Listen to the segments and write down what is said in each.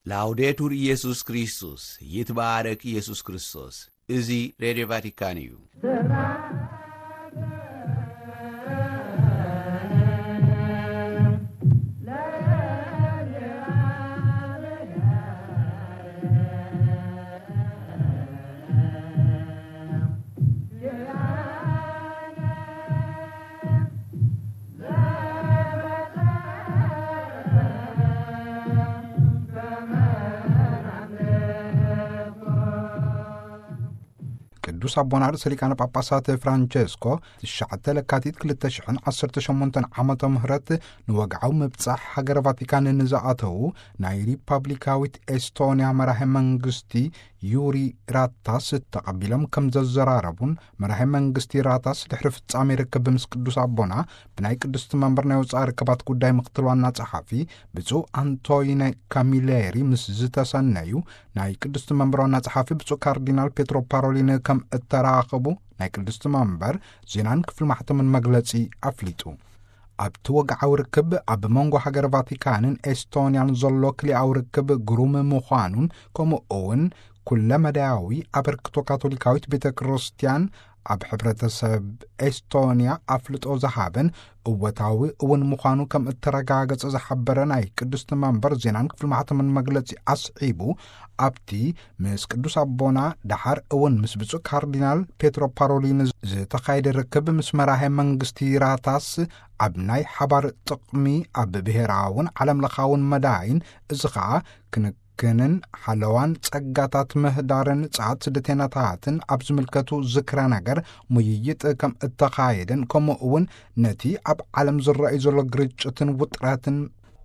ላውዴቱር ኢየሱስ ክርስቶስ፣ ይትባረክ ኢየሱስ ክርስቶስ። እዚ ሬድዮ ቫቲካን እዩ። ቅዱስ ኣቦና ርእሰ ሊቃነ ጳጳሳት ፍራንቸስኮ ትሽዓተ ለካቲት ክልተ ሽሕን ዓሰርተ ሸሞንተን ዓመተ ምህረት ንወግዓዊ ምብጻሕ ሃገረ ቫቲካን ንዝኣተዉ ናይ ሪፐብሊካዊት ኤስቶንያ መራሒ መንግስቲ ዩሪ ራታስ ተቐቢሎም ከም ዘዘራረቡን፣ መራሒ መንግስቲ ራታስ ድሕሪ ፍጻሜ ርክብ ምስ ቅዱስ ኣቦና ብናይ ቅድስቲ መንበር ናይ ወጻኢ ርክባት ጉዳይ ምክትል ዋና ጸሓፊ ብፁዕ ኣንቶይነ ካሚሌሪ ምስ ዝተሰነዩ ናይ ቅድስቲ መንበር ዋና ጸሓፊ ብፁዕ ካርዲናል ፔትሮ ፓሮሊን ከም እተራኸቡ ናይ ቅድስቲ መንበር ዜናን ክፍሊ ማሕተምን መግለጺ ኣፍሊጡ። ኣብቲ ወግዓዊ ርክብ ኣብ መንጎ ሃገር ቫቲካንን ኤስቶንያን ዘሎ ክልኣዊ ርክብ ግሩም ምዃኑን፣ ከምኡ እውን ኩለ መዳያዊ ኣበርክቶ ካቶሊካዊት ቤተ ክርስቲያን ኣብ ሕብረተሰብ ኤስቶንያ ኣፍልጦ ዝሃበን እወታዊ እውን ምዃኑ ከም እተረጋገጸ ዝሓበረ ናይ ቅድስቲ መንበር ዜናን ክፍሊ ማሕተምን መግለጺ ኣስዒቡ፣ ኣብቲ ምስ ቅዱስ ኣቦና ደሓር እውን ምስ ብፁዕ ካርዲናል ፔትሮ ፓሮሊን ዝተኻየደ ርክብ ምስ መራሄ መንግስቲ ራታስ ኣብ ናይ ሓባር ጥቕሚ ኣብ ብሔራውን ዓለም ለኻውን መዳይን፣ እዚ ኸኣ ክንክንን ሓለዋን ጸጋታት ምህዳርን ጸዓት ስደተኛታትን ኣብ ዝምልከቱ ዝክረ ነገር ምይይጥ ከም እተኻየደን፣ ከምኡ እውን ነቲ ኣብ ዓለም ዝረኣዩ ዘሎ ግርጭትን ውጥረትን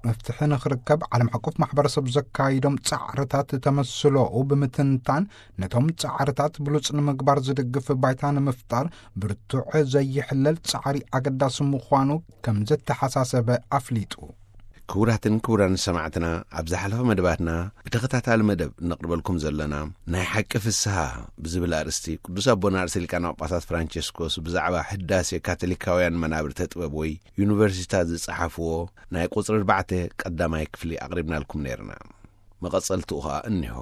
መፍትሒ ንኽርከብ ዓለም ሓቆፍ ማሕበረሰብ ዘካይዶም ጻዕርታት ተመስሎኡ ብምትንታን፣ ነቶም ጻዕርታት ብሉጽ ንምግባር ዝድግፍ ባይታ ንምፍጣር ብርቱዕ ዘይሕለል ጻዕሪ ኣገዳሲ ምዃኑ ከም ዘተሓሳሰበ ኣፍሊጡ። ክቡራትን ክቡራን ሰማዕትና፣ ኣብ ዝሓለፈ መደባትና ብተኸታታሊ መደብ እነቕርበልኩም ዘለና ናይ ሓቂ ፍስሃ ብዝብል ኣርእስቲ ቅዱስ ኣቦና ርእሰ ሊቃነ ጳጳሳት ፍራንቸስኮስ ብዛዕባ ህዳሴ ካቶሊካውያን መናብርተ ጥበብ ወይ ዩኒቨርሲታት ዝጸሓፍዎ ናይ ቁጽሪ ኣርባዕተ ቀዳማይ ክፍሊ ኣቕሪብናልኩም ነይርና። መቐጸልትኡ ኸኣ እኒሆ።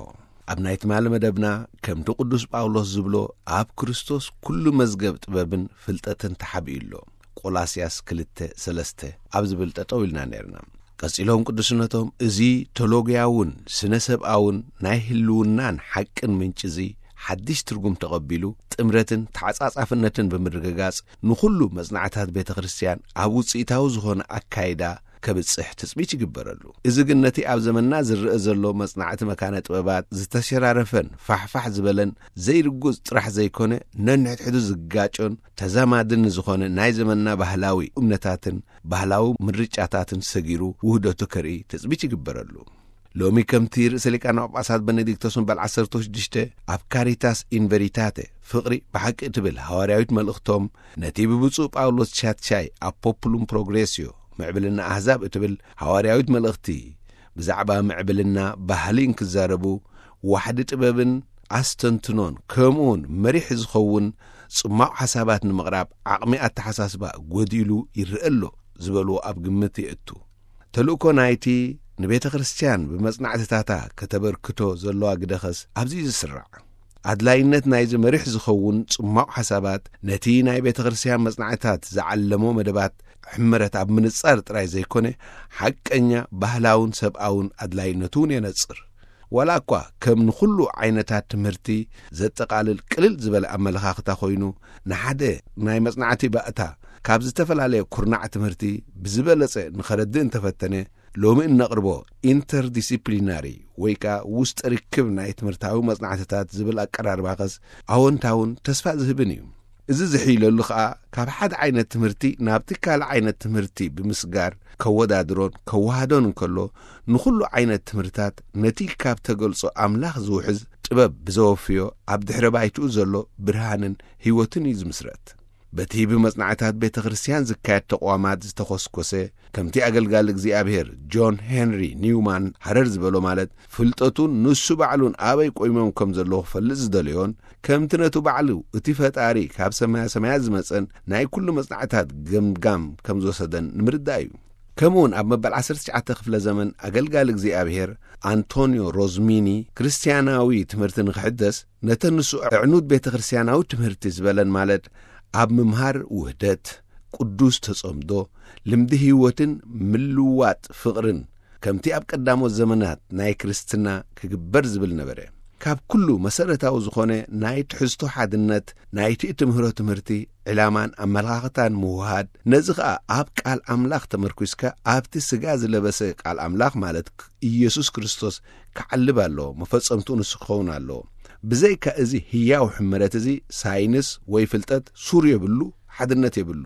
ኣብ ናይ ትማሊ መደብና ከምቲ ቅዱስ ጳውሎስ ዝብሎ ኣብ ክርስቶስ ኩሉ መዝገብ ጥበብን ፍልጠትን ተሓቢኡ ኣሎ። ቆላስያስ ክልተ ሰለስተ ኣብ ዝብል ጠጠው ኢልና ነይርና። ቀጺሎም ቅዱስነቶም እዚ ቶሎግያውን ስነ ሰብኣውን ናይ ህልውናን ሓቅን ምንጪ እዚ ሓድሽ ትርጉም ተቐቢሉ ጥምረትን ተዓጻጻፍነትን ብምርግጋጽ ንኹሉ መጽናዕታት ቤተ ክርስቲያን ኣብ ውጽኢታዊ ዝኾነ ኣካይዳ ከብጽሕ ትጽቢት ይግበረሉ። እዚ ግን ነቲ ኣብ ዘመንና ዝረአ ዘሎ መጽናዕቲ መካነ ጥበባት ዝተሸራረፈን ፋሕፋሕ ዝበለን ዘይርጉጽ ጥራሕ ዘይኮነ፣ ነንሕድሕዱ ዝጋጮን ተዛማድን ዝኾነ ናይ ዘመንና ባህላዊ እምነታትን ባህላዊ ምርጫታትን ሰጊሩ ውህደቱ ከርኢ ትጽቢት ይግበረሉ። ሎሚ ከምቲ ርእሰ ሊቃነ ጳጳሳት በነዲክቶስ መበል ዓሰርተ ሽዱሽተ ኣብ ካሪታስ ኢን ቨሪታተ፣ ፍቕሪ ብሓቂ እትብል ሃዋርያዊት መልእኽቶም፣ ነቲ ብብፁዕ ጳውሎስ ቻትሻይ ኣብ ፖፑሉም ፕሮግሬስዮ፣ ምዕብልና ኣህዛብ እትብል ሃዋርያዊት መልእኽቲ፣ ብዛዕባ ምዕብልና ባህሊ እንክዛረቡ፣ ዋሕዲ ጥበብን ኣስተንትኖን ከምኡውን መሪሕ ዝኸውን ጽማቕ ሓሳባት ንምቕራብ ዓቕሚ ኣተሓሳስባ ጎዲሉ ይረአ ኣሎ ዝበልዎ ኣብ ግምት የእቱ። ተልእኮ ናይቲ ንቤተ ክርስቲያን ብመጽናዕትታታ ከተበርክቶ ዘለዋ ግደኸስ ኣብዚ እዩ ዝስራዕ። ኣድላይነት ናይዚ መሪሕ ዝኸውን ጽማቕ ሓሳባት ነቲ ናይ ቤተ ክርስቲያን መጽናዕትታት ዝዓለሞ መደባት ሕመረት ኣብ ምንጻር ጥራይ ዘይኮነ፣ ሓቀኛ ባህላውን ሰብኣውን ኣድላይነቱ እውን የነጽር። ዋላ እኳ ከም ንኹሉ ዓይነታት ትምህርቲ ዘጠቓልል ቅልል ዝበለ ኣመለኻኽታ ኮይኑ፣ ንሓደ ናይ መጽናዕቲ ባእታ ካብ ዝተፈላለየ ኩርናዕ ትምህርቲ ብዝበለጸ ንኸረድእ እንተፈተነ፣ ሎሚ እነቕርቦ ኢንተርዲሲፕሊናሪ ወይ ከኣ ውስጠ ርክብ ናይ ትምህርታዊ መጽናዕትታት ዝብል ኣቀራርባኸስ ኣወንታውን ተስፋ ዝህብን እዩ። እዚ ዝሕይለሉ ኸኣ ካብ ሓደ ዓይነት ትምህርቲ ናብቲ ካልእ ዓይነት ትምህርቲ ብምስጋር ከወዳድሮን ከወሃዶን እንከሎ፣ ንኹሉ ዓይነት ትምህርታት ነቲ ካብ ተገልጾ ኣምላኽ ዝውሕዝ ጥበብ ብዘወፍዮ ኣብ ድሕረ ባይትኡ ዘሎ ብርሃንን ህይወትን እዩ ዝምስረት። በቲ ብመጽናዕታት ቤተ ክርስቲያን ዝካየድ ተቕዋማት ዝተኾስኮሰ፣ ከምቲ ኣገልጋሊ እግዚኣብሔር ጆን ሄንሪ ኒውማን ሃረር ዝበሎ፣ ማለት ፍልጠቱን ንሱ ባዕሉን ኣበይ ቆይሞም ከም ዘለዉ ክፈልጥ ዝደለዮን፣ ከምቲ ነቱ ባዕሉ እቲ ፈጣሪ ካብ ሰማያ ሰማያት ዝመጸን ናይ ኩሉ መጽናዕታት ገምጋም ከም ዝወሰደን ንምርዳእ እዩ። ከምኡውን ኣብ መበል ዓሰርተ ትሽዓተ ክፍለ ዘመን ኣገልጋሊ እግዚኣብሔር ኣንቶንዮ ሮዝሚኒ፣ ክርስትያናዊ ትምህርቲ ንኽሕደስ፣ ነተን ንሱ ኣዕኑድ ቤተ ክርስትያናዊ ትምህርቲ ዝበለን፣ ማለት ኣብ ምምሃር ውህደት፣ ቅዱስ ተጸምዶ፣ ልምዲ ህይወትን ምልዋጥ ፍቕርን፣ ከምቲ ኣብ ቀዳሞት ዘመናት ናይ ክርስትና ክግበር ዝብል ነበረ። ካብ ኩሉ መሰረታዊ ዝኾነ ናይ ትሕዝቶ ሓድነት ናይቲ እትምህሮ ትምህርቲ፣ ዕላማን ኣመለኻኽታን ምውሃድ፣ ነዚ ኸኣ ኣብ ቃል ኣምላኽ ተመርኲስካ ኣብቲ ስጋ ዝለበሰ ቃል ኣምላኽ፣ ማለት ኢየሱስ ክርስቶስ፣ ክዓልብ ኣለዎ፣ መፈጸምትኡ ንሱ ክኸውን ኣለዎ። ብዘይካ እዚ ህያው ሕመረት፣ እዚ ሳይንስ ወይ ፍልጠት ሱር የብሉ፣ ሓድነት የብሉ።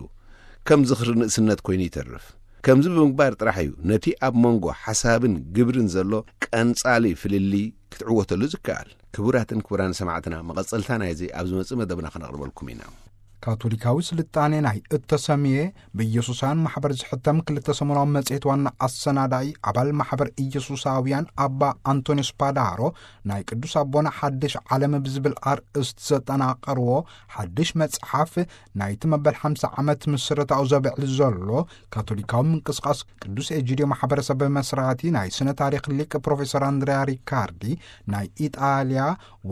ከም ዝኽሪ ንእስነት ኮይኑ ይተርፍ። ከምዚ ብምግባር ጥራሕ እዩ ነቲ ኣብ መንጎ ሓሳብን ግብርን ዘሎ ቀንጻሊ ፍልሊ ክትዕወተሉ ዝከኣል። ክቡራትን ክቡራን ሰማዕትና፣ መቐጸልታ ናይዚ ኣብ ዝመጽእ መደብና ከነቕርበልኩም ኢና። ካቶሊካዊ ስልጣኔ ናይ እተሰምየ ብኢየሱሳውያን ማሕበር ዝሕተም ክልተ ሰሙናዊ መጽሔት ዋና ኣሰናዳኢ፣ ኣባል ማሕበር ኢየሱሳውያን ኣባ ኣንቶኒዮስ ፓዳሮ፣ ናይ ቅዱስ ኣቦና ሓድሽ ዓለም ብዝብል ኣርእስቲ ዘጠናቐርዎ ሓድሽ መጽሓፍ፣ ናይቲ መበል ሓምሳ ዓመት ምስረታኡ ዘብዕል ዘሎ ካቶሊካዊ ምንቅስቃስ ቅዱስ ኤጂድዮ ማሕበረሰብ መስራቲ ናይ ስነ ታሪኽ ሊቅ ፕሮፌሰር ኣንድሪያ ሪካርዲ፣ ናይ ኢጣልያ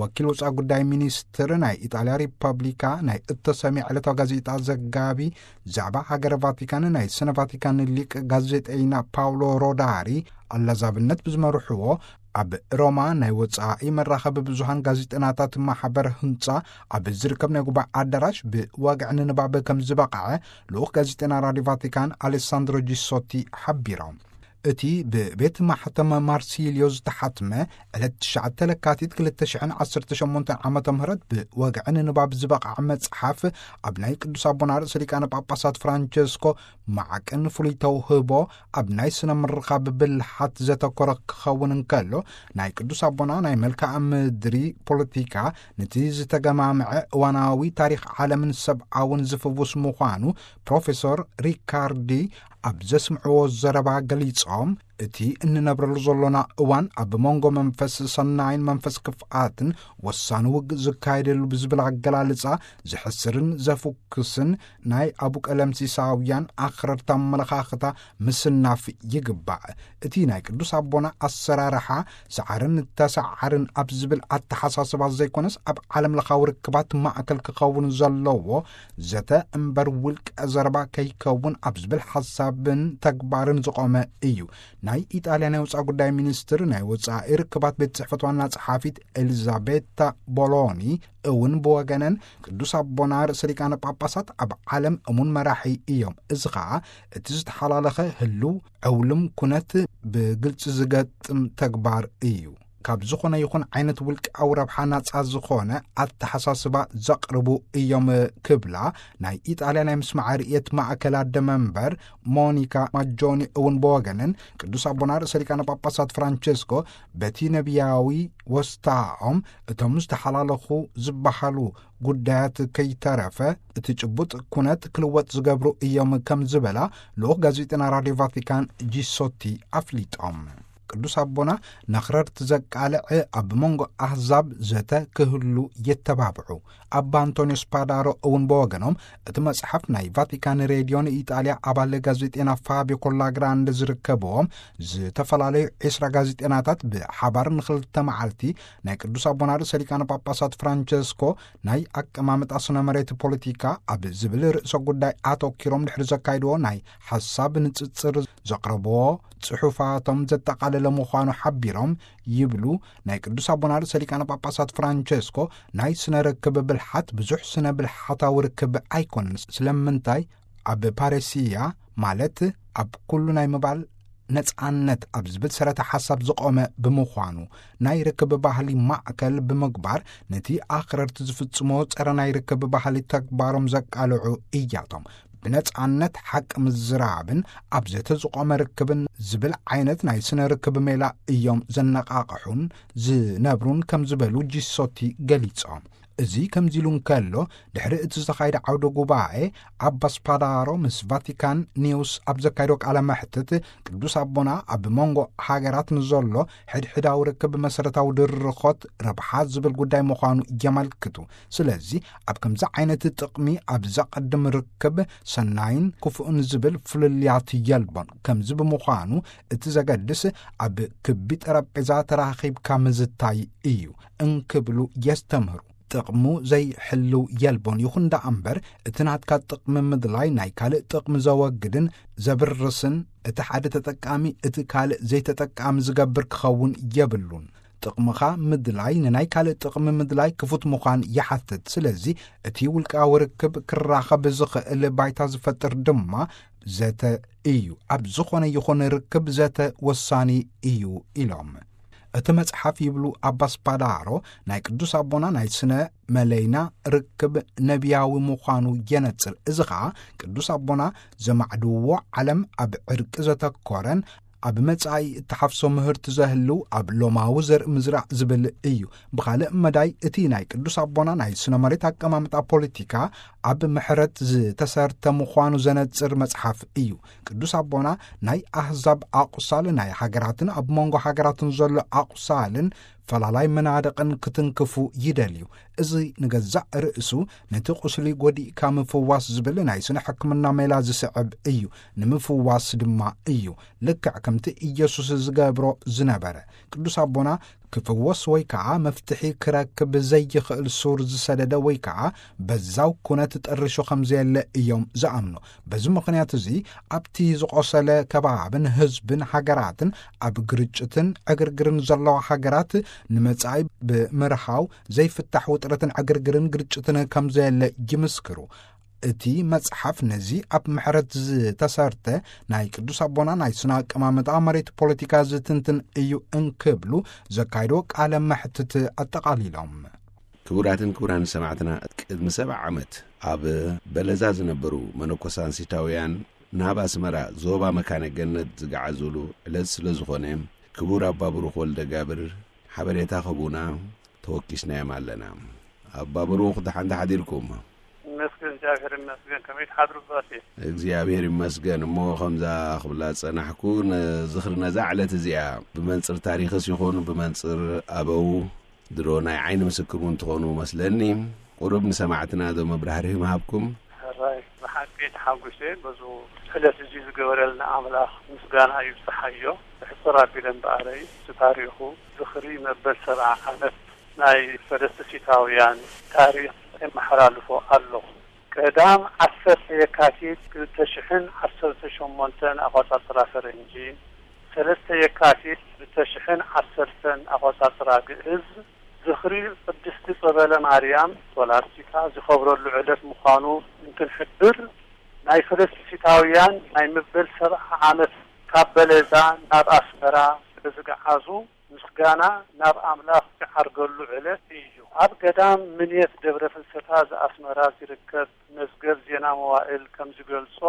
ወኪል ወጻኢ ጉዳይ ሚኒስትር፣ ናይ ኢጣልያ ሪፐብሊካ ናይ እተሰምየ ዕለታዊ ጋዜጣ ዘጋቢ፣ ዛዕባ ሃገረ ቫቲካን ናይ ስነ ቫቲካን ሊቅ ጋዜጠይና ፓውሎ ሮዳሪ፣ ኣላዛብነት ብዝመርሕዎ ኣብ ሮማ ናይ ወጻኢ መራኸቢ ብዙሃን ጋዜጠናታት ማሕበር ህንጻ ኣብ ዝርከብ ናይ ጉባኤ ኣዳራሽ ብወግዒ ንንባብ ከም ዝበቕዐ ልኡኽ ጋዜጠና ራድዮ ቫቲካን ኣሌሳንድሮ ጂሶቲ ሓቢሮም። እቲ ብቤት ማሕተም ማርሲልዮ ዝተሓትመ ዕለት ትሽዓተ ለካቲት ክልተ ሽሕን ዓሰርተ ሸሞንተን ዓመተ ምህረት ብወግዒ ንንባብ ዝበቕዐ መጽሓፍ፣ ኣብ ናይ ቅዱስ ኣቦና ርእሰ ሊቃነ ጳጳሳት ፍራንቸስኮ ማዕቅን ፍሉይ ተውህቦ ኣብ ናይ ስነ ምርኻብ ብልሓት ዘተኮረ ክኸውን እንከሎ፣ ናይ ቅዱስ ኣቦና ናይ መልክዓ ምድሪ ፖለቲካ፣ ነቲ ዝተገማምዐ እዋናዊ ታሪኽ ዓለምን ሰብኣውን ዝፍውስ ምዃኑ ፕሮፌሰር ሪካርዲ ኣብ ዘስምዕዎ ዘረባ ገሊጾም፣ እቲ እንነብረሉ ዘሎና እዋን ኣብ መንጎ መንፈስ ሰናይን መንፈስ ክፍኣትን ወሳኒ ውግእ ዝካየደሉ ብዝብል ኣገላልጻ፣ ዘሕስርን ዘፍኩስን ናይ ኣቡቀለምሲሳውያን ኣኽረርቲ ኣመለኻኽታ ምስናፍ ይግባእ። እቲ ናይ ቅዱስ ኣቦና ኣሰራርሓ፣ ሰዓርን ተሰዓርን ኣብ ዝብል ኣተሓሳስባ ዘይኮነስ፣ ኣብ ዓለም ለኻዊ ርክባት ማእከል ክኸውን ዘለዎ ዘተ እምበር ውልቀ ዘረባ ከይከውን ኣብ ዝብል ሓሳብን ተግባርን ዝቖመ እዩ። ናይ ኢጣልያ ናይ ወጻኢ ጉዳይ ሚኒስትር ናይ ወጻኢ ርክባት ቤት ጽሕፈት ዋና ጸሓፊት ኤሊዛቤታ ቦሎኒ እውን ብወገነን፣ ቅዱስ ኣቦና ርእሰ ሊቃነ ጳጳሳት ኣብ ዓለም እሙን መራሒ እዮም። እዚ ኸኣ እቲ ዝተሓላለኸ ህሉው ዕውልም ኩነት ብግልጺ ዝገጥም ተግባር እዩ። ካብ ዝኾነ ይኹን ዓይነት ውልቃዊ ረብሓ ናጻ ዝኾነ ኣተሓሳስባ ዘቕርቡ እዮም ክብላ ናይ ኢጣልያ ናይ ምስማዕ ርእየት ማእከል ኣደ መንበር ሞኒካ ማጆኒ እውን ብወገነን፣ ቅዱስ ኣቦና ርእሰ ሊቃነ ጳጳሳት ፍራንቸስኮ በቲ ነቢያዊ ወስታኦም እቶም ዝተሓላለኹ ዝበሃሉ ጉዳያት ከይተረፈ እቲ ጭቡጥ ኩነት ክልወጥ ዝገብሩ እዮም ከም ዝበላ ልኡኽ ጋዜጠና ራድዮ ቫቲካን ጂሶቲ ኣፍሊጦም። ቅዱስ ኣቦና ነኽረርቲ ዘቃልዕ ኣብ መንጎ ኣህዛብ ዘተ ክህሉ የተባብዑ። ኣባ ኣንቶኒዮስ ፓዳሮ እውን ብወገኖም፣ እቲ መጽሓፍ ናይ ቫቲካን ሬድዮ ንኢጣልያ ኣባል ጋዜጤና ፋቢዮ ኮላግራንደ ዝርከብዎም ዝተፈላለዩ ዒስራ ጋዜጤናታት ብሓባር ንኽልተ መዓልቲ ናይ ቅዱስ ኣቦና ርእሰ ሊቃነ ጳጳሳት ፍራንቸስኮ ናይ ኣቀማምጣ ስነ መሬት ፖለቲካ ኣብ ዝብል ርእሰ ጉዳይ ኣተኪሮም ድሕሪ ዘካይድዎ ናይ ሓሳብ ንጽጽር ዘቕረብዎ ጽሑፋቶም ዘጠቓለለ ምዃኑ ሓቢሮም ይብሉ። ናይ ቅዱስ ኣቦና ርእሰ ሊቃነ ጳጳሳት ፍራንቸስኮ ናይ ስነ ርክብ ብልሓት ብዙሕ ስነ ብልሓታዊ ርክብ ኣይኮነን። ስለምንታይ? ኣብ ፓረሲያ፣ ማለት ኣብ ኩሉ ናይ ምባል ነጻነት ኣብ ዝብል ሰረተ ሓሳብ ዝቖመ ብምዃኑ፣ ናይ ርክብ ባህሊ ማእከል ብምግባር፣ ነቲ ኣኽረርቲ ዝፍጽሞ ጸረ ናይ ርክብ ባህሊ ተግባሮም ዘቃልዑ እያቶም። ብነጻነት ሓቂ ምዝራብን ኣብ ዘተ ዝቖመ ርክብን ዝብል ዓይነት ናይ ስነ ርክብ ሜላ እዮም ዘነቓቕሑን ዝነብሩን ከም ዝበሉ ጂሶቲ ገሊጾም። እዚ ከምዚ ኢሉ እንከሎ፣ ድሕሪ እቲ ዝተኻየደ ዓውደ ጉባኤ፣ ኣባ ስፓዳሮ ምስ ቫቲካን ኒውስ ኣብ ዘካየዶ ቃለ መሕትት፣ ቅዱስ ኣቦና ኣብ መንጎ ሃገራት ንዘሎ ሕድሕዳዊ ርክብ መሰረታዊ ድርኾት ረብሓ ዝብል ጉዳይ ምዃኑ የመልክቱ። ስለዚ ኣብ ከምዚ ዓይነት ጥቕሚ ኣብ ዘቐድም ርክብ ሰናይን ክፉእን ዝብል ፍልልያት የልቦን። ከምዚ ብምዃኑ እቲ ዘገድስ ኣብ ክቢ ጠረጴዛ ተራኺብካ ምዝታይ እዩ እንክብሉ የስተምህሩ። ጥቕሙ ዘይሕልው የልቦን። ይኹን ደኣ እምበር፣ እቲ ናትካ ጥቕሚ ምድላይ ናይ ካልእ ጥቕሚ ዘወግድን ዘብርስን፣ እቲ ሓደ ተጠቃሚ እቲ ካልእ ዘይተጠቃሚ ዝገብር ክኸውን የብሉን። ጥቕምኻ ምድላይ ንናይ ካልእ ጥቕሚ ምድላይ ክፉት ምዃን ይሓትት። ስለዚ እቲ ውልቃዊ ርክብ ክራኸብ ዝኽእል ባይታ ዝፈጥር ድማ ዘተ እዩ። ኣብ ዝኾነ ይኹን ርክብ ዘተ ወሳኒ እዩ ኢሎም። እቲ መጽሓፍ ይብሉ ኣባ ስፓዳሮ ናይ ቅዱስ ኣቦና ናይ ስነ መለይና ርክብ ነቢያዊ ምዃኑ የነጽር። እዚ ኸኣ ቅዱስ ኣቦና ዘማዕድዎ ዓለም ኣብ ዕርቂ ዘተኮረን ኣብ መጻኢ እተሓፍሶ ምህርቲ ዘህልው ኣብ ሎማዊ ዘርኢ ምዝራእ ዝብል እዩ። ብኻልእ መዳይ እቲ ናይ ቅዱስ ኣቦና ናይ ስነ መሬት ኣቀማምጣ ፖለቲካ ኣብ ምሕረት ዝተሰርተ ምዃኑ ዘነጽር መጽሓፍ እዩ። ቅዱስ ኣቦና ናይ ኣህዛብ ኣቑሳል ናይ ሃገራትን ኣብ መንጎ ሃገራትን ዘሎ ኣቑሳልን ፈላላይ መናድቕን ክትንክፉ ይደልዩ። እዚ ንገዛእ ርእሱ ነቲ ቁስሊ ጎዲእካ ምፍዋስ ዝብል ናይ ስነ ሕክምና ሜላ ዝስዕብ እዩ። ንምፍዋስ ድማ እዩ። ልክዕ ከምቲ ኢየሱስ ዝገብሮ ዝነበረ። ቅዱስ ኣቦና ክፍወስ ወይ ከዓ መፍትሒ ክረክብ ዘይኽእል ሱር ዝሰደደ ወይ ከዓ በዛው ኩነት ጠርሾ ከም ዘየለ እዮም ዝኣምኑ። በዚ ምኽንያት እዚ ኣብቲ ዝቆሰለ ከባብን ህዝብን ሃገራትን ኣብ ግርጭትን ዕግርግርን ዘለዋ ሃገራት ንመጻኢ ብምርሃው ዘይፍታሕ ውጥረትን ዕግርግርን ግርጭትን ከም ዘየለ ይምስክሩ። እቲ መጽሓፍ ነዚ ኣብ ምሕረት ዝተሰርተ ናይ ቅዱስ ኣቦና ናይ ስነ ኣቀማምጣ መሬት ፖለቲካ ዝትንትን እዩ እንክብሉ ዘካይዶ ቃለ መሕትት ኣጠቓሊሎም። ክቡራትን ክቡራን ሰማዕትና፣ ቅድሚ ሰብዓ ዓመት ኣብ በለዛ ዝነበሩ መነኮሳንሲታውያን ናብ ኣስመራ ዞባ መካነ ገነት ዝገዓዙሉ ዕለት ስለ ዝኾነ፣ ክቡር ኣባ ብሩኽ ወልደ ጋብር ሓበሬታ ክህቡና ተወኪስናዮም ኣለና። ኣባ ብሩኽ፣ ደሓን ተሓዲርኩም? ይመስገን፣ እግዚኣብሔር ይመስገን። ከመይ ትሓድሩ ኣባቴ? እግዚኣብሔር ይመስገን። እሞ ከምዛ ክብላ ዝጸናሕኩ፣ ንዝኽሪ ነዛ ዕለት እዚኣ ብመንጽር ታሪኽስ ይኹን ብመንጽር ኣበው ድሮ ናይ ዓይኒ ምስክር እውን ትኾኑ መስለኒ። ቁሩብ ንሰማዕትና ዶ መብራህርሂ ምሃብኩም? ሕራይ፣ ብሓቂ ተሓጒሰ በዚ ዕለት እዚ ዝገበረልና ኣምላኽ ምስጋና ይብጽሓዮ። ብሕጽር ኣቢለ እምበኣረይ፣ እቲ ታሪኹ ዝኽሪ መበል ሰብዓ ዓመት ናይ ፈለስቲሲታውያን ታሪኽ የመሓላልፎ ኣለኹ። ቀዳም ዓሰርተ የካቲት ክልተ ሽሕን ዓሰርተ ሸሞንተን ኣቆጻጽራ ፈረንጂ፣ ሰለስተ የካቲት ክልተ ሽሕን ዓሰርተን ኣቆጻጽራ ግእዝ፣ ዝኽሪ ቅድስቲ ጸበለ ማርያም ሶላስቲካ ዝኸብረሉ ዕለት ምዃኑ እንትንሕብር፣ ናይ ፈለስቲሲታውያን ናይ መበል ሰብዓ ዓመት ካብ በለዛ ናብ ኣስመራ ስለ ዝገዓዙ፣ ምስጋና ናብ ኣምላኽ ዝዓርገሉ ዕለት እዩ። ኣብ ገዳም ምንየት ደብረ ፍልሰታ ዘኣስመራ ዝርከብ መዝገብ ዜና መዋእል ከም ዝገልጾ፣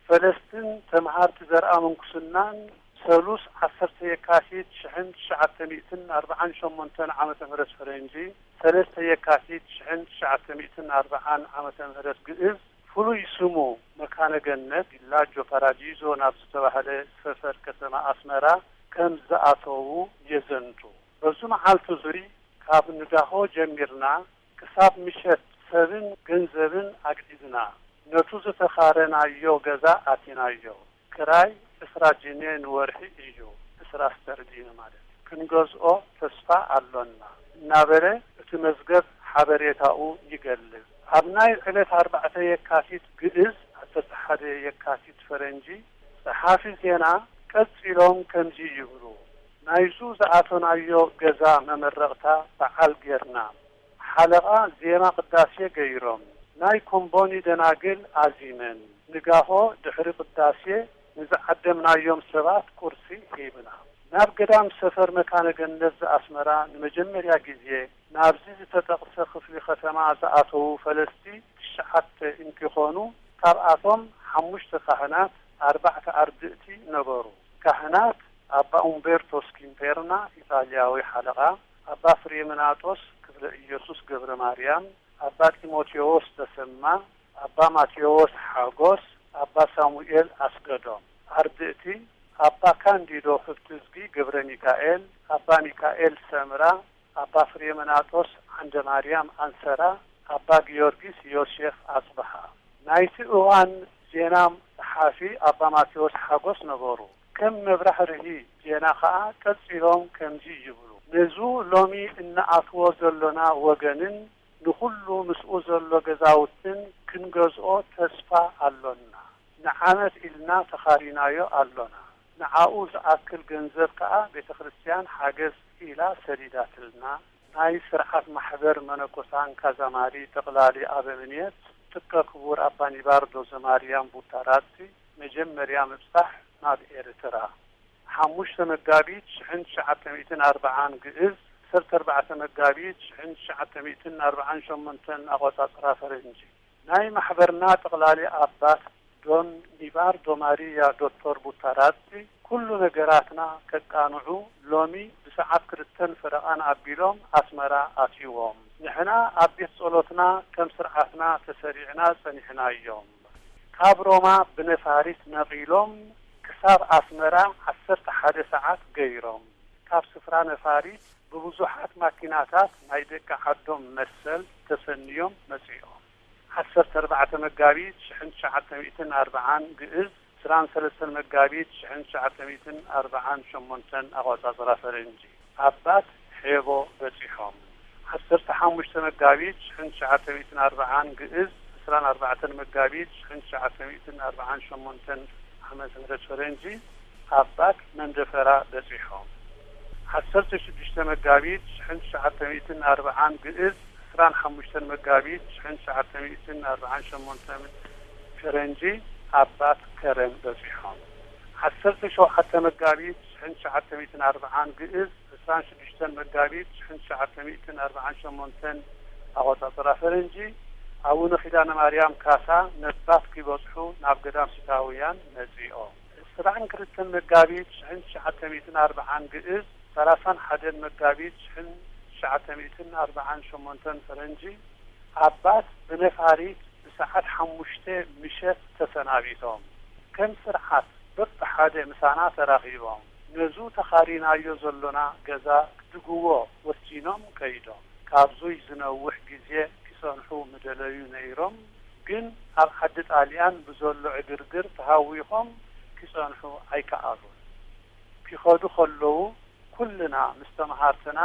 ፈለስትን ተምሃርቲ ዘርኣ ምንኩስናን ሰሉስ ዓሰርተ የካቲት ሽሕን ትሽዓተ ሚእትን ኣርብዓን ሸሞንተን ዓመተ ምህረት ፈረንጂ፣ ሰለስተ የካቲት ሽሕን ትሽዓተ ሚእትን ኣርብዓን ዓመተ ምህረት ግእዝ፣ ፍሉይ ስሙ መካነ ገነት ቪላጆ ፓራዲዞ ናብ ዝተባህለ ሰፈር ከተማ ኣስመራ ከም ዝኣተዉ የዘንቱ። በዚ መዓልቲ እዙይ ካብ ንጋሆ ጀሚርና ክሳብ ምሸት ሰብን ገንዘብን ኣግዒዝና። ነቱ ዝተኻረናዮ ገዛ ኣቲናዮ። ክራይ ዕስራ ጂኔ ንወርሒ እዩ፣ ዕስራ ስተርሊን ማለት እዩ። ክንገዝኦ ተስፋ ኣሎና እናበለ እቲ መዝገብ ሓበሬታኡ ይገልጽ። ኣብ ናይ ዕለት ኣርባዕተ የካቲት ግእዝ፣ ዓሰርተ ሓደ የካቲት ፈረንጂ፣ ጸሓፊ ዜና ቀጺሎም ከምዚ ይብሉ፣ ናይዙ ዝኣተናዮ ገዛ መመረቕታ በዓል ጌርና። ሓለቓ ዜማ ቅዳሴ ገይሮም፣ ናይ ኮምቦኒ ደናግል ኣዚመን፣ ንጋሆ ድሕሪ ቅዳሴ ንዝዓደምናዮም ሰባት ቁርሲ ሂብና። ናብ ገዳም ሰፈር መካነ ገነት ዘኣስመራ ንመጀመርያ ግዜ ናብዚ ዝተጠቕሰ ክፍሊ ከተማ ዝኣተዉ ፈለስቲ ትሽዓተ እንትኾኑ፣ ካብኣቶም ሓሙሽተ ካህናት፣ ኣርባዕተ ኣርድእቲ ነበሩ። ካህናት ኣባ ኡምቤርቶ ስኪምፔርና፣ ኢጣልያዊ ሓለቓ፣ ኣባ ፍሬምናጦስ ክፍለ ኢየሱስ ገብረ ማርያም፣ ኣባ ጢሞቴዎስ ተሰማ፣ ኣባ ማቴዎስ ሓጎስ፣ ኣባ ሳሙኤል ኣስገዶም። ኣርድእቲ፣ ኣባ ካንዲዶ ህብትዝጊ ገብረሚካኤል፣ ኣባ ሚካኤል ሰምራ፣ ኣባ ፍሬምናጦስ ዓንደማርያም ኣንሰራ፣ ኣባ ጊዮርጊስ ዮሴፍ ኣጽብሃ። ናይቲ እዋን ዜና ጸሓፊ ኣባ ማቴዎስ ሓጎስ ነበሩ። ከም መብራህርሂ ዜና ከኣ ቀጺሎም ከምዚ ይብሉ፣ ነዙ ሎሚ እንኣትዎ ዘሎና ወገንን ንኹሉ ምስኡ ዘሎ ገዛውትን ክንገዝኦ ተስፋ ኣሎና። ንዓመት ኢልና ተኻሪናዮ ኣሎና። ንዓኡ ዝኣክል ገንዘብ ከኣ ቤተ ክርስቲያን ሓገዝ ኢላ ሰዲዳትልና። ናይ ስርዓት ማሕበር መነኮሳን ካዛማሪ ጠቕላሊ ኣበምኔት ጥቀ ክቡር ኣባ ኒባርዶ ዘማርያም ቡታራቲ መጀመርያ ምብጻሕ ናብ ኤርትራ። ሓሙሽተ መጋቢት ሽሕን ትሽዓተ ሚእትን ኣርብዓን ግእዝ፣ ዓሰርተ ኣርባዕተ መጋቢት ሽሕን ትሽዓተ ሚእትን ኣርብዓን ሸሞንተን ኣቆጻጽራ ፈረንጂ። ናይ ማሕበርና ጠቕላሊ ኣባት ዶን ኒባርዶ ማሪያ ዶቶር ቡታራቲ ኩሉ ነገራትና ከቃንዑ ሎሚ ብሰዓት ክልተን ፈረቓን ኣቢሎም ኣስመራ ኣትይዎም። ንሕና ኣብ ቤት ጸሎትና ከም ስርዓትና ተሰሪዕና ጸኒሕናዮም። ካብ ሮማ ብነፋሪት ነቒሎም ክሳብ ኣስመራ ዓሰርተ ሓደ ሰዓት ገይሮም። ካብ ስፍራ ነፋሪት ብብዙሓት ማኪናታት ናይ ደቂ ዓዶም መሰል ተሰንዮም መጺኦም። ዓሰርተ ኣርባዕተ መጋቢት ሽሕን ትሽዓተ ሚእትን ኣርብዓን ግእዝ፣ ዕስራን ሰለስተን መጋቢት ሽሕን ትሽዓተ ሚእትን ኣርብዓን ሸሞንተን ኣቆጻጽራ ፈረንጂ፣ ኣባት ሔቦ በጺሖም። ዓሰርተ ሓሙሽተ መጋቢት ሽሕን ትሽዓተ ሚእትን ኣርብዓን ግእዝ፣ ዕስራን ኣርባዕተን መጋቢት ሽሕን ትሽዓተ ሚእትን ኣርብዓን ሸሞንተን ዓመተ ምህረት ፈረንጂ፣ ኣባት መንደፈራ በጺሖም። ዓሰርተ ሽዱሽተ መጋቢት ሽሕን ትሽዓተ ሚእትን ኣርብዓን ግእዝ፣ ዕስራን ሓሙሽተን መጋቢት ሽሕን ትሽዓተ ሚእትን ኣርብዓን ሸሞንተን ፈረንጂ፣ ኣባት ከረን በጺሖም። ዓሰርተ ሸውዓተ መጋቢት ሽሕን ትሽዓተ ሚእትን ኣርብዓን ግእዝ፣ ዕስራን ሽዱሽተን መጋቢት ሽሕን ትሽዓተ ሚእትን ኣርብዓን ሸሞንተን ኣቆጻጽራ ፈረንጂ፣ ኣቡነ ኪዳነ ማርያም ካሳ ነባት ኪበጽሑ ናብ ገዳም ሲታውያን መጺኦም። ዕስራን ክልተን መጋቢት ሽሕን ትሽዓተ ሚእትን ኣርብዓን ግእዝ፣ ሰላሳን ሓደን መጋቢት ሽሕን ትሽዓተ ሚእትን ኣርብዓን ሸሞንተን ፈረንጂ፣ ኣባት ብነፋሪት ብሰዓት ሓሙሽተ ምሸት ተሰናቢቶም። ከም ስርዓት በብሓደ ምሳና ተራኺቦም፣ ነዙ ተኻሪናዮ ዘሎና ገዛ ክድግዎ ወሲኖም ከይዶም። ካብዙይ ዝነውሕ ግዜ ኪጸንሑ ምደለዩ ነይሮም፣ ግን ኣብ ዓዲ ጣልያን ብዘሎ ዕግርግር ተሃዊኾም ኪጸንሑ ኣይከኣሉን። ኪኸዱ ከለዉ ኩልና ምስ ተመሃርትና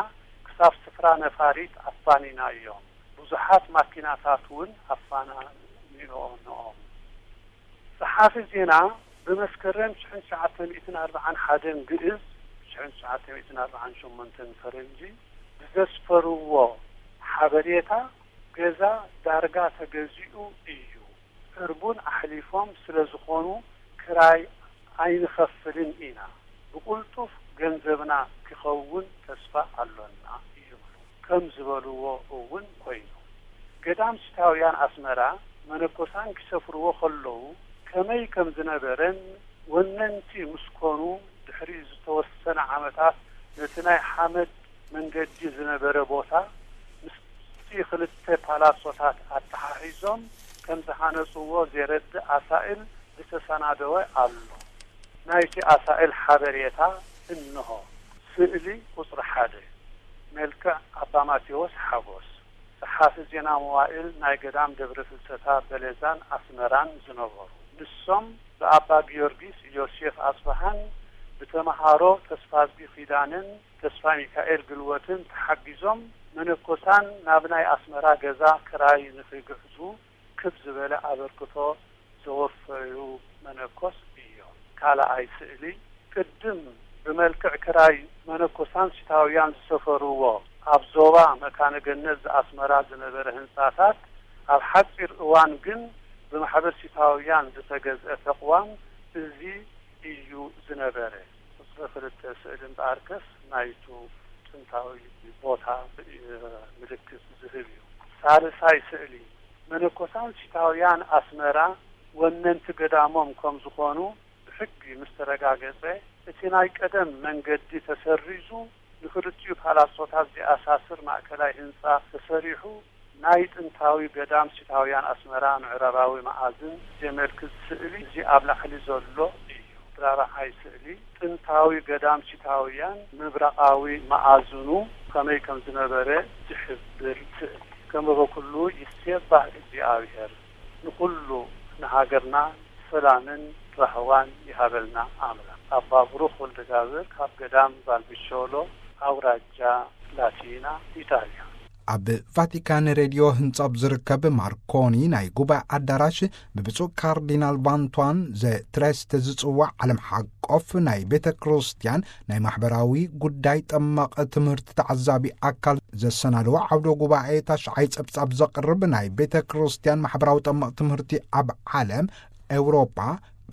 ክሳብ ስፍራ ነፋሪት ኣፋኒናዮም። ብዙሓት ማኪናታት እውን ኣፋናኒኦምኦም። ጸሓፊ ዜና ብመስከረም ሽሕን ትሽዓተ ሚእትን ኣርብዓን ሓደን ግእዝ፣ ሽሕን ትሽዓተ ሚእትን ኣርብዓን ሸሞንተን ፈረንጂ ብዘስፈርዎ ሓበሬታ፣ ገዛ ዳርጋ ተገዚኡ እዩ። ዕርቡን ኣሕሊፎም ስለ ዝኾኑ ክራይ ኣይንኸፍልን ኢና። ብቕልጡፍ ገንዘብና ክኸውን ተስፋ ኣሎና ይብሉ። ከም ዝበልዎ እውን ኮይኑ። ገዳም ሲታውያን ኣስመራ መነኮሳን ኪሰፍርዎ ከለዉ ከመይ ከም ዝነበረን ወነንቲ ምስ ኮኑ ድሕሪ ዝተወሰነ ዓመታት ነቲ ናይ ሓመድ መንገዲ ዝነበረ ቦታ ምስቲ ክልተ ፓላሶታት ኣተሓሒዞም ከም ዝሃነጽዎ ዜረድእ ኣሳእል ዝተሰናደወ ኣሎ። ናይቲ ኣሳእል ሓበሬታ እንሆ። ስእሊ ቁጽሪ ሓደ። መልክዕ ኣባ ማቴዎስ ሓጎስ፣ ጸሓፊ ዜና መዋእል ናይ ገዳም ደብረ ፍልሰታ በለዛን ኣስመራን ዝነበሩ። ንሶም ብኣባ ጊዮርጊስ ዮሴፍ ኣጽብሃን ብተመሃሮ ተስፋዝጊ ኪዳነን ተስፋ ሚካኤል ግልወትን ተሓጊዞም መነኮሳን ናብ ናይ ኣስመራ ገዛ ክራይ ንኺግዕዙ ክብ ዝበለ ኣበርክቶ ዘወፈዩ መነኮስ እዮም። ካልኣይ ስእሊ፣ ቅድም ብመልክዕ ክራይ መነኮሳን ሲታውያን ዝሰፈርዎ ኣብ ዞባ መካነ ገነት ዘኣስመራ ዝነበረ ህንጻታት ኣብ ሓጺር እዋን ግን ብማሕበር ሲታውያን ዝተገዝአ ተቕዋም እዚ እዩ ዝነበረ። ቁጽሪ ክልተ ስእሊ እምበኣርከስ ናይቱ ጥንታዊ ቦታ ምልክት ዝህብ እዩ። ሳልሳይ ስእሊ፣ መነኮሳን ሲታውያን ኣስመራ ወነንቲ ገዳሞም ከም ዝኾኑ ብሕጊ ምስ ተረጋገጸ፣ እቲ ናይ ቀደም መንገዲ ተሰሪዙ ንክልቲኡ ፓላሶታት ዚኣሳስር ማእከላይ ህንጻ ተሰሪሑ ናይ ጥንታዊ ገዳም ሲታውያን ኣስመራ ምዕራባዊ መኣዝን ዜመልክት ስእሊ፣ እዚ ኣብ ላዕሊ ዘሎ እዩ። ራብዓይ ስእሊ፣ ጥንታዊ ገዳም ሲታውያን ምብራቓዊ መኣዝኑ ከመይ ከም ዝነበረ ዝሕብር ስእሊ። ከም በበኩሉ ይሴባህ እግዚኣብሔር፣ ንኹሉ፣ ንሃገርና ሰላምን ራህዋን ይሃበልና ኣምላኽ። ኣባ ብሩኽ ወልደጋብር ካብ ገዳም ቫልቢሾሎ፣ ኣውራጃ ላቲና፣ ኢጣልያ። ኣብ ቫቲካን ሬድዮ ህንጻ ኣብ ዝርከብ ማርኮኒ ናይ ጉባኤ ኣዳራሽ፣ ብብፁዕ ካርዲናል ቫንቷን ዘ ትሬስት ዝጽዋዕ ዓለም ሓቆፍ ናይ ቤተ ክርስቲያን ናይ ማሕበራዊ ጉዳይ ጠመቕ ትምህርቲ ተዓዛቢ ኣካል ዘሰናድዎ ዓውደ ጉባኤ ታሽዓይ ጸብጻብ ዘቕርብ፣ ናይ ቤተ ክርስቲያን ማሕበራዊ ጠመቕ ትምህርቲ ኣብ ዓለም፣ ኤውሮጳ፣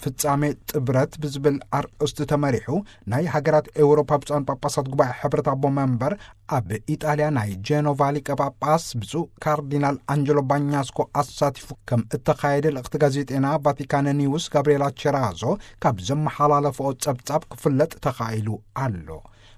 ፍጻሜ ጥብረት ብዝብል ኣርእስቲ ተመሪሑ፣ ናይ ሃገራት ኤውሮፓ ብፁዓን ጳጳሳት ጉባኤ ሕብረት ኣቦ መንበር ኣብ ኢጣልያ ናይ ጄኖቫ ሊቀ ጳጳስ ብፁዕ ካርዲናል ኣንጀሎ ባኛስኮ ኣሳቲፉ ከም እተኻየደ ልእኽቲ ጋዜጤና ቫቲካን ኒውስ ጋብርኤላ ቸራዞ ካብ ዘመሓላለፍኦ ጸብጻብ ክፍለጥ ተኻኢሉ ኣሎ።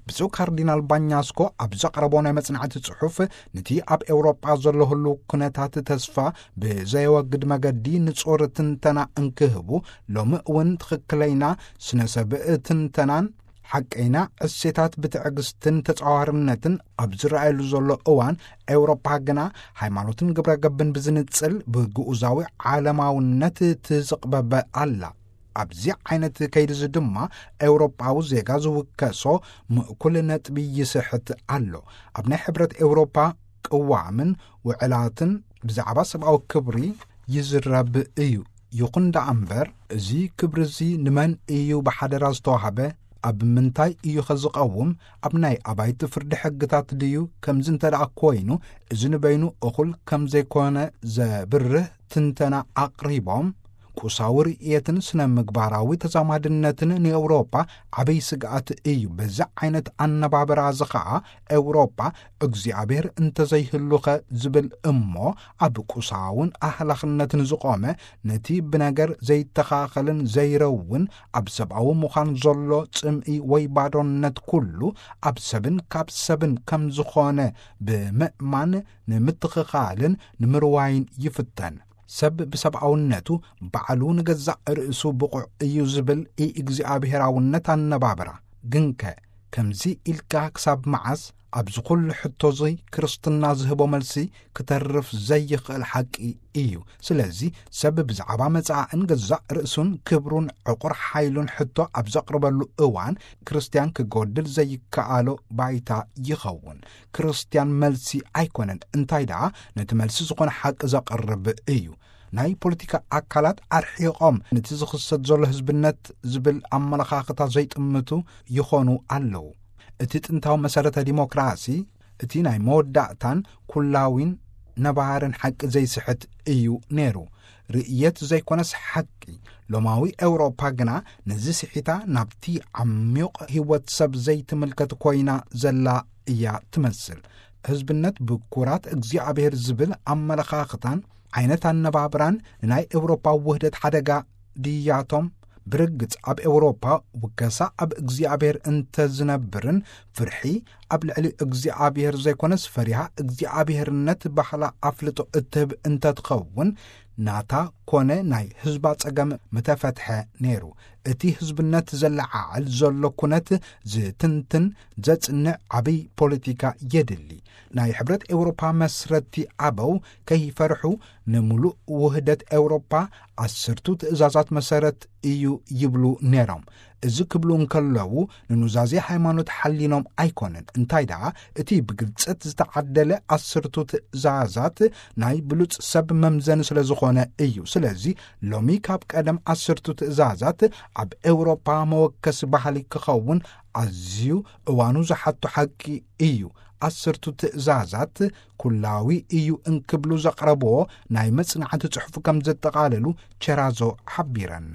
ብፁዕ ካርዲናል ባኛስኮ ኣብ ዘቕረቦ ናይ መጽናዕቲ ጽሑፍ፣ ነቲ ኣብ ኤውሮጳ ዘሎ ህሉው ኩነታት ተስፋ ብዘየወግድ መገዲ ንጹር ትንተና እንክህቡ፣ ሎሚ እውን ትኽክለይና ስነ ሰብ ትንተናን ሓቀይና እሴታት ብትዕግስትን ተጻዋርነትን ኣብ ዝረኣየሉ ዘሎ እዋን፣ ኤውሮፓ ግና ሃይማኖትን ግብረ ገብን ብዝንጽል ብግኡዛዊ ዓለማውነት ትዝቕበበ ኣላ። ኣብዚ ዓይነት ከይዲ እዚ ድማ ኤውሮጳዊ ዜጋ ዝውከሶ ምእኩል ነጥቢ ይስሕት ኣሎ። ኣብ ናይ ሕብረት ኤውሮፓ ቅዋምን ውዕላትን ብዛዕባ ሰብኣዊ ክብሪ ይዝረብ እዩ። ይኹን ደኣ እምበር፣ እዚ ክብሪ እዚ ንመን እዩ ብሓደራ ዝተዋህበ? ኣብ ምንታይ እዩ ኸ ዝቐውም? ኣብ ናይ ኣባይቲ ፍርዲ ሕግታት ድዩ? ከምዚ እንተ ደኣ ኮይኑ፣ እዚ ንበይኑ እኹል ከም ዘይኮነ ዘብርህ ትንተና ኣቕሪቦም፣ ቁሳዊ ርእየትን ስነ ምግባራዊ ተዛማድነትን ንኤውሮጳ ዓብይ ስግኣት እዩ። በዚ ዓይነት ኣነባብራ እዚ ኸኣ፣ ኤውሮጳ እግዚኣብሔር እንተዘይህሉኸ ዝብል እሞ፣ ኣብ ቁሳውን ኣህላኽነትን ዝቖመ፣ ነቲ ብነገር ዘይተኻኸልን ዘይረውን፣ ኣብ ሰብኣዊ ምዃን ዘሎ ጽምኢ ወይ ባዶነት ኩሉ ኣብ ሰብን ካብ ሰብን ከም ዝኾነ ብምእማን፣ ንምትኽኻልን ንምርዋይን ይፍተን። ሰብ ብሰብኣውነቱ ባዕሉ ንገዛእ ርእሱ ብቑዕ እዩ ዝብል ኢእግዚኣብሄራውነት ኣነባብራ። ግንከ፣ ከምዚ ኢልካ ክሳብ መዓስ? ኣብዚ ኩሉ ሕቶ እዚ ክርስትና ዝህቦ መልሲ ክተርፍ ዘይኽእል ሓቂ እዩ። ስለዚ ሰብ ብዛዕባ መጻእን ገዛእ ርእሱን ክብሩን ዕቑር ሓይሉን ሕቶ ኣብ ዘቕርበሉ እዋን፣ ክርስትያን ክጎድል ዘይከኣሎ ባይታ ይኸውን። ክርስትያን መልሲ ኣይኮነን፣ እንታይ ደኣ ነቲ መልሲ ዝኾነ ሓቂ ዘቕርብ እዩ። ናይ ፖለቲካ ኣካላት ኣርሒቖም ነቲ ዝኽሰት ዘሎ ህዝብነት ዝብል ኣመለኻኽታ ዘይጥምቱ ይኾኑ ኣለዉ። እቲ ጥንታዊ መሰረተ ዲሞክራሲ፣ እቲ ናይ መወዳእታን ኩላዊን ነባርን ሓቂ ዘይስሕት እዩ ነይሩ። ርእየት ዘይኮነስ ሓቂ። ሎማዊ ኤውሮፓ ግና ነዚ ስሒታ ናብቲ ዓሚቕ ህይወት ሰብ ዘይትምልከት ኮይና ዘላ እያ ትመስል። ህዝብነት ብኩራት እግዚኣብሔር ዝብል ኣመለኻኽታን ዓይነት ኣነባብራን ንናይ ኤውሮፓ ውህደት ሓደጋ ድያቶም? ብርግጽ ኣብ ኤውሮፓ ውከሳ ኣብ እግዚኣብሔር እንተዝነብርን ፍርሒ ኣብ ልዕሊ እግዚኣብሔር ዘይኮነስ ፈሪሃ እግዚኣብሔርነት ባህላ ኣፍልጦ እትህብ እንተትኸውን ናታ ኮነ ናይ ህዝባ ጸገም ምተፈትሐ ነይሩ። እቲ ህዝብነት ዘለዓዕል ዘሎ ኩነት ዝትንትን ዘጽንዕ ዓብይ ፖለቲካ የድሊ። ናይ ሕብረት ኤውሮፓ መስረቲ ኣበው ከይፈርሑ ንምሉእ ውህደት ኤውሮፓ ዓሰርቱ ትእዛዛት መሰረት እዩ ይብሉ ነይሮም። እዚ ክብሉ እንከለዉ ንኑዛዜ ሃይማኖት ሓሊኖም ኣይኮነን። እንታይ ደኣ እቲ ብግልጸት ዝተዓደለ ዓሰርቱ ትእዛዛት ናይ ብሉጽ ሰብ መምዘኒ ስለ ዝኾነ እዩ። ስለዚ ሎሚ ካብ ቀደም ዓሰርቱ ትእዛዛት ኣብ ኤውሮፓ መወከሲ ባህሊ ክኸውን ኣዝዩ እዋኑ ዝሓቶ ሓቂ እዩ። ዓሰርቱ ትእዛዛት ኩላዊ እዩ እንክብሉ ዘቕረብዎ ናይ መጽናዕቲ ጽሑፍ ከም ዘጠቓለሉ ቸራዞ ሓቢረን።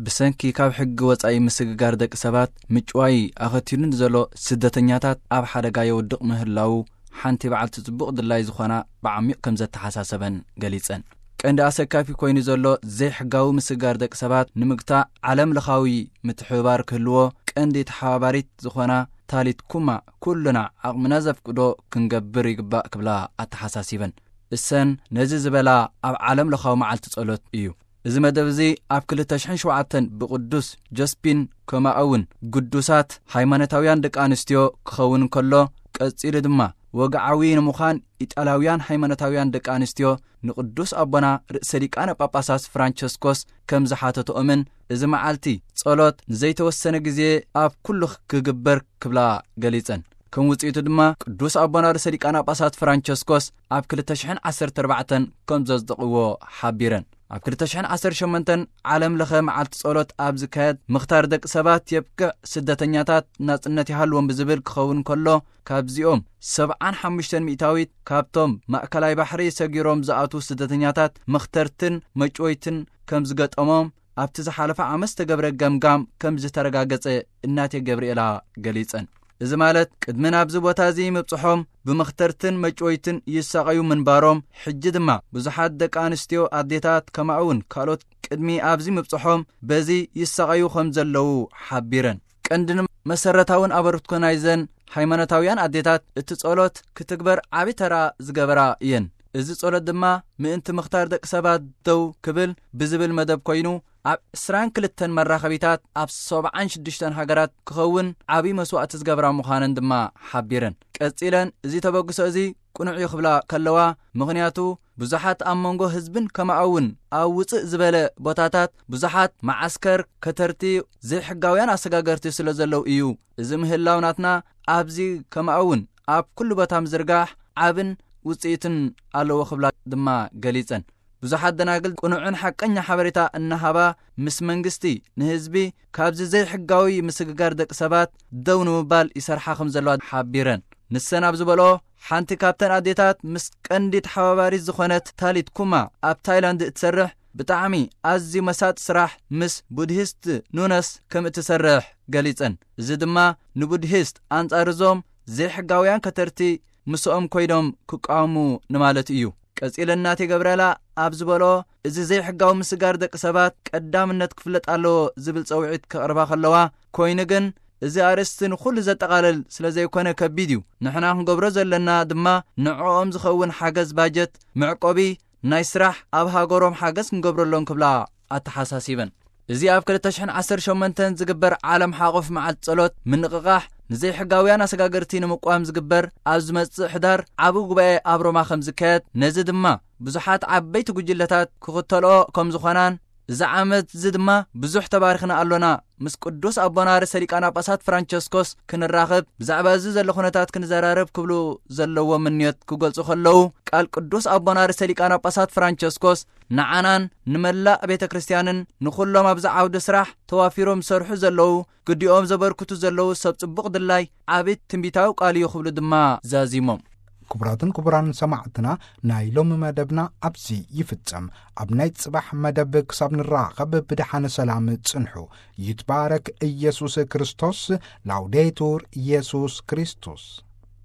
ብሰንኪ ካብ ሕጊ ወጻኢ ምስግጋር ደቂ ሰባት ምጭዋይ ኣኸቲሉ ንዘሎ ስደተኛታት ኣብ ሓደጋ የውድቕ ምህላዉ ሓንቲ በዓልቲ ጽቡቕ ድላይ ዝኾና ብዓሚቕ ከም ዘተሓሳሰበን ገሊጸን። ቀንዲ ኣሰካፊ ኮይኑ ዘሎ ዘይሕጋዊ ምስግጋር ደቂ ሰባት ንምግታእ ዓለም ለኻዊ ምትሕብባር ክህልዎ ቀንዲ ተሓባባሪት ዝኾና ታሊት ኩማ ኩልና ዓቕምና ዘፍቅዶ ክንገብር ይግባእ ክብላ ኣተሓሳሲበን። እሰን ነዚ ዝበላ ኣብ ዓለም ለኻዊ መዓልቲ ጸሎት እዩ። እዚ መደብ እዚ ኣብ ክልተ ሽሕን ሸውዓተን ብቅዱስ ጆስፒን ከምኡ እውን ግዱሳት ሃይማኖታውያን ደቂ ኣንስትዮ ክኸውን እንከሎ፣ ቀጺሉ ድማ ወግዓዊ ንምዃን ኢጣልያውያን ሃይማኖታውያን ደቂ ኣንስትዮ ንቅዱስ ኣቦና ርእሰ ሊቃነ ጳጳሳት ፍራንቸስኮስ ከም ዝሓተትኦምን፣ እዚ መዓልቲ ጸሎት ንዘይተወሰነ ግዜ ኣብ ኩሉ ክግበር ክብላ ገሊጸን። ከም ውጽኢቱ ድማ ቅዱስ ኣቦና ርእሰ ሊቃነ ጳጳሳት ፍራንቸስኮስ ኣብ ክልተ ሽሕን ዓሰርተ ኣርባዕተን ከም ዘጽደቕዎ ሓቢረን። ኣብ ክልተ ሽሕን ዓሰርተ ሸሞንተን ዓለም ለኸ መዓልቲ ጸሎት ኣብ ዝካየድ፣ ምኽታር ደቂ ሰባት የብቅዕ፣ ስደተኛታት ናጽነት ይሃልዎም ብዝብል ክኸውን ከሎ፣ ካብዚኦም ሰብዓን ሓሙሽተን ሚእታዊት ካብቶም ማእከላይ ባሕሪ ሰጊሮም ዝኣትዉ ስደተኛታት መኽተርትን መጭወይትን ከም ዝገጠሞም ኣብቲ ዝሓለፈ ዓመት ዝተገብረ ገምጋም ከም ዝተረጋገጸ እናቴ ገብርኤላ ገሊጸን። እዚ ማለት ቅድሚ ናብዚ ቦታ እዚ ምብጽሖም ብመኽተርትን መጭወይትን ይሳቐዩ ምንባሮም፣ ሕጂ ድማ ብዙሓት ደቂ ኣንስትዮ ኣዴታት ከምኡ እውን ካልኦት ቅድሚ ኣብዚ ምብጽሖም በዚ ይሳቐዩ ከም ዘለዉ ሓቢረን። ቀንድን መሰረታውን ኣበርክቶ ናይዘን ሃይማኖታውያን ኣዴታት እቲ ጸሎት ክትግበር ዓቢ ተራ ዝገበራ እየን። እዚ ጸሎት ድማ ምእንቲ ምኽታር ደቂ ሰባት ደው ክብል ብዝብል መደብ ኮይኑ፣ ኣብ ዕስራን ክልተን መራኸቢታት ኣብ ሰብዓን ሽዱሽተን ሃገራት ክኸውን ዓቢ መስዋእቲ ዝገብራ ምዃነን ድማ ሓቢረን። ቀጺለን እዚ ተበግሶ እዚ ቅኑዕ እዩ ክብላ ከለዋ፣ ምኽንያቱ ብዙሓት ኣብ መንጎ ህዝብን ከምኡ እውን ኣብ ውጽእ ዝበለ ቦታታት ብዙሓት መዓስከር፣ ከተርቲ፣ ዘይሕጋውያን ኣሰጋገርቲ ስለ ዘለዉ እዩ። እዚ ምህላው ናትና ኣብዚ ከምኡ እውን ኣብ ኩሉ ቦታ ምዝርጋሕ ዓብን ውጽኢትን ኣለዎ ክብላ ድማ ገሊጸን። ብዙሓት ደናግል ቅኑዕን ሓቀኛ ሓበሬታ እናሃባ ምስ መንግስቲ ንህዝቢ ካብዚ ዘይሕጋዊ ምስግጋር ደቂ ሰባት ደው ንምባል ይሰርሓ ከም ዘለዋ ሓቢረን። ንሰን ኣብ ዝበልኦ፣ ሓንቲ ካብተን ኣዴታት ምስ ቀንዲ ተሓባባሪት ዝኾነት ታሊት ኩማ ኣብ ታይላንድ እትሰርሕ ብጣዕሚ ኣዝዩ መሳጢ ስራሕ ምስ ቡድሂስት ኑነስ ከም እትሰርሕ ገሊጸን። እዚ ድማ ንቡድሂስት ኣንጻር እዞም ዘይሕጋውያን ከተርቲ ምስኦም ኮይኖም ክቃወሙ ንማለት እዩ። ቀጺለ እናቴ ገብርኤላ ኣብ ዝበሎ፣ እዚ ዘይሕጋዊ ምስጋር ደቂ ሰባት ቀዳምነት ክፍለጥ ኣለዎ ዝብል ጸውዒት ከቕርባ ከለዋ፣ ኮይኑ ግን እዚ ኣርእስቲ ንኹሉ ዘጠቓልል ስለ ዘይኮነ ከቢድ እዩ። ንሕና ክንገብሮ ዘለና ድማ ንዕኦም ዝኸውን ሓገዝ ባጀት፣ መዕቆቢ፣ ናይ ስራሕ ኣብ ሃገሮም ሓገዝ ክንገብረሎም ክብላ ኣተሓሳሲበን። እዚ ኣብ ክልተ ሽሕን ዓሰርተ ሸሞንተን ዝግበር ዓለም ሓቆፍ መዓልቲ ጸሎት ምንቕቓሕ ንዘይሕጋውያን ኣሰጋገርቲ ንምቋም ዝግበር ኣብ ዝመጽእ ሕዳር ዓቢ ጉባኤ ኣብ ሮማ ከም ዝካየድ፣ ነዚ ድማ ብዙሓት ዓበይቲ ጉጅለታት ክኽተልኦ ከም ዝኾናን፣ እዚ ዓመት እዚ ድማ ብዙሕ ተባሪኽና ኣሎና፣ ምስ ቅዱስ ኣቦና ርእሰ ሊቃነ ጳጳሳት ፍራንቸስኮስ ክንራኸብ፣ ብዛዕባ እዚ ዘሎ ኩነታት ክንዘራረብ ክብሉ ዘለዎ ምንዮት ክገልጹ ከለዉ፣ ቃል ቅዱስ ኣቦና ርእሰ ሊቃነ ጳጳሳት ፍራንቸስኮስ ንዓናን ንመላእ ቤተ ክርስቲያንን ንኹሎም ኣብዚ ዓውዲ ስራሕ ተዋፊሮም ዝሰርሑ ዘለዉ፣ ግዲኦም ዘበርክቱ ዘለዉ ሰብ ጽቡቕ ድላይ ዓቢ ትንቢታዊ ቃል እዩ ክብሉ ድማ ዛዚሞም። ክቡራትን ክቡራን ሰማዕትና፣ ናይ ሎሚ መደብና ኣብዚ ይፍጸም። ኣብ ናይ ጽባሕ መደብ ክሳብ ንራኸብ ብደሓነ ሰላም ጽንሑ። ይትባረክ ኢየሱስ ክርስቶስ። ላውዴቱር ኢየሱስ ክርስቶስ።